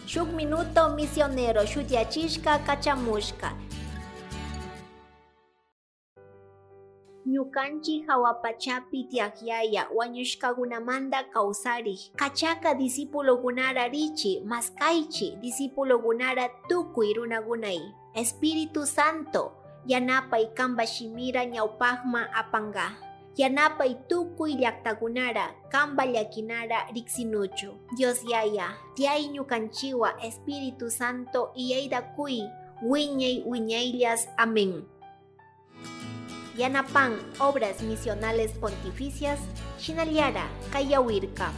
Shuk Minuto Misionero shutiyachishka kachamushka. Ñukanchik hawa pachapi tiyak Yaya wañushkakunamanta kawsarik kachaka discípulokunara richi maskaychi discípulokunara tukuy runakunay. Espíritu Santo yanapay kanpa shimira ñawpakman apanka. Yanapay tukuy llaktakunara kanpa llakinara riksinuchu. Dios Yaya tiyay ñukanchiwa Espíritu Santo iyayta kuy wiñay wiñayllas. Amén. Yanapan Obras Misionales Pontificias, Shinallara, Kayawirka.